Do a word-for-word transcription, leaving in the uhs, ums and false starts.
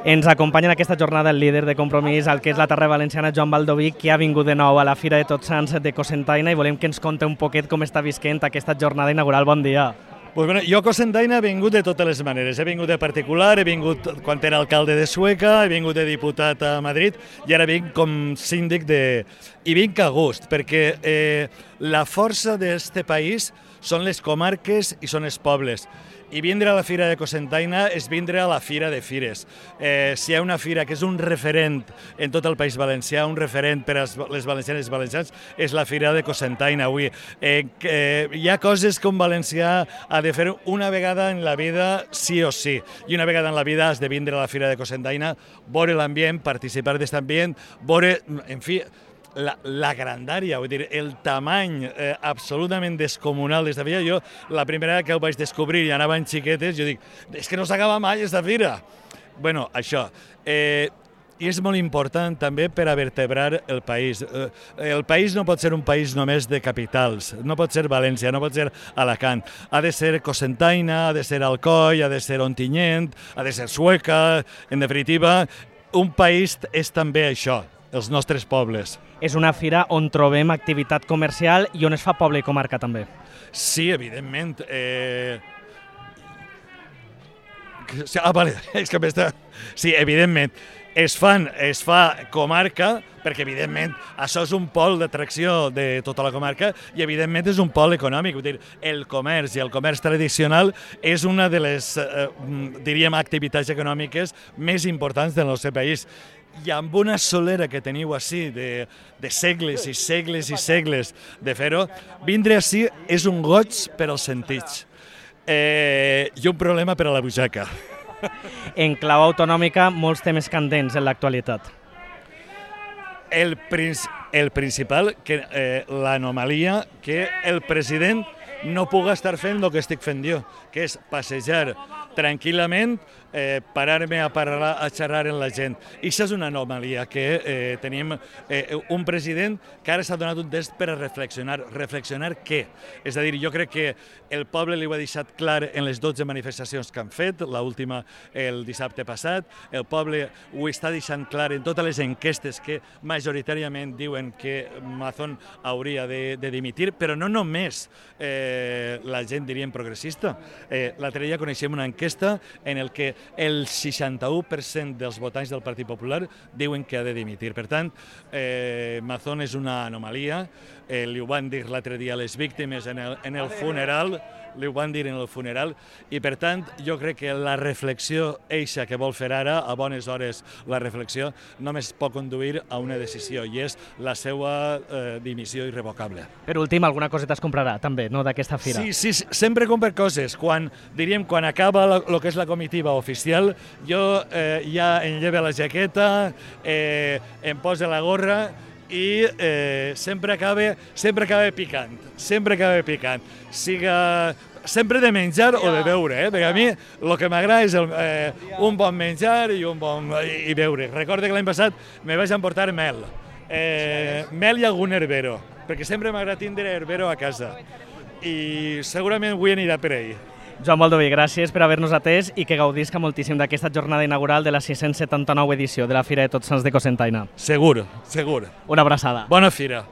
Ens acompanya en aquesta jornada el líder de Compromís, el que és la Terra Valenciana, Joan Baldoví, que ha vingut de nou a la Fira de Tots Sants de Cocentaina i volem que ens conte un poquet com està visquent aquesta jornada inaugural. Bon dia. Pues bueno, jo a Cocentaina he vingut de totes les maneres. He vingut de particular, he vingut quan era alcalde de Sueca, he vingut de diputat a Madrid i ara vinc com síndic de... I vinc a gust, perquè eh, la força d'este país són les comarques i són els pobles. I vindre a la Fira de Cocentaina és vindre a la Fira de Fires. Eh, si hi ha una fira que és un referent en tot el País Valencià, un referent per a les valencianes i els valencians, és la Fira de Cocentaina avui. Eh, eh, hi ha coses que un valencià ha de fer una vegada en la vida sí o sí. I una vegada en la vida has de vindre a la Fira de Cocentaina, veure l'ambient, participar d'aquest ambient, veure, en fi, La, la grandària, vull dir, el tamany eh, absolutament descomunal d'esta fira. Jo, la primera que ho vaig descobrir i anaven xiquetes, jo dic, és que no s'acaba mai esta fira. Bueno, això. Eh, I és molt important també per a vertebrar el país. Eh, el país no pot ser un país només de capitals, no pot ser València, no pot ser Alacant. Ha de ser Cocentaina, ha de ser Alcoi, ha de ser Ontinyent, ha de ser Sueca, en definitiva. Un país és també això, els nostres pobles. És una fira on trobem activitat comercial i on es fa poble i comarca també. Sí, evidentment. Eh... Ah, vale, és que m'està... Sí, evidentment. Es fan, es fa comarca, perquè evidentment això és un pol d'atracció de tota la comarca i evidentment és un pol econòmic. Vull dir, el comerç i el comerç tradicional és una de les, eh, diríem, activitats econòmiques més importants del nostre país. I amb una solera que teniu així de, de segles i segles i segles de fer-ho, vindre així és un goig per als sentits eh, i un problema per a la butxaca. En clau autonòmica, molts temes candents en l'actualitat. El, princi el principal, que eh, l'anomalia que el president no puga estar fent el que estic fent jo, que és passejar tranquil·lament, eh, parar-me a, parlar, a xerrar amb la gent. I això és una anomalia, que eh, tenim eh, un president que ara s'ha donat un test per a reflexionar. Reflexionar què? És a dir, jo crec que el poble li ho ha deixat clar en les dotze manifestacions que han fet, l'última el dissabte passat, el poble ho està deixant clar en totes les enquestes que majoritàriament diuen que Mazón hauria de, de dimitir, però no només eh, la gent, diríem, progressista. Eh, L'altre dia coneixem una enquesta en el que el seixanta-u per cent dels votants del Partit Popular diuen que ha de dimitir. Per tant, eh, Mazón és una anomalia, eh, li ho van dir l'altre dia a les víctimes en el, en el funeral, li ho van dir en el funeral, i per tant jo crec que la reflexió eixa que vol fer ara, a bones hores la reflexió, només pot conduir a una decisió, i és la seva eh, dimissió irrevocable. Per últim, alguna coseta es comprarà també, no, d'aquesta fira? Sí, sí, sempre compro coses. Quan, diríem, quan acaba el que és la comitiva oficial, jo eh, ja em lleve la jaqueta, eh, em posa la gorra, i eh, sempre acaba sempre acaba picant, sempre acaba picant, siga sempre de menjar o de beure, eh? Perquè a mi el que m'agrada és el, eh, un bon menjar i un bon i, i beure. Recordo que l'any passat me vaig emportar mel, eh, mel i algun herbero, perquè sempre m'agrada tindre herbero a casa i segurament avui anirà per ell. Joan Baldoví, gràcies per haver-nos atès i que gaudisca moltíssim d'aquesta jornada inaugural de la sis-cents setanta-nou edició de la Fira de Tots Sants de Cocentaina. Segur, segur. Una abraçada. Bona fira.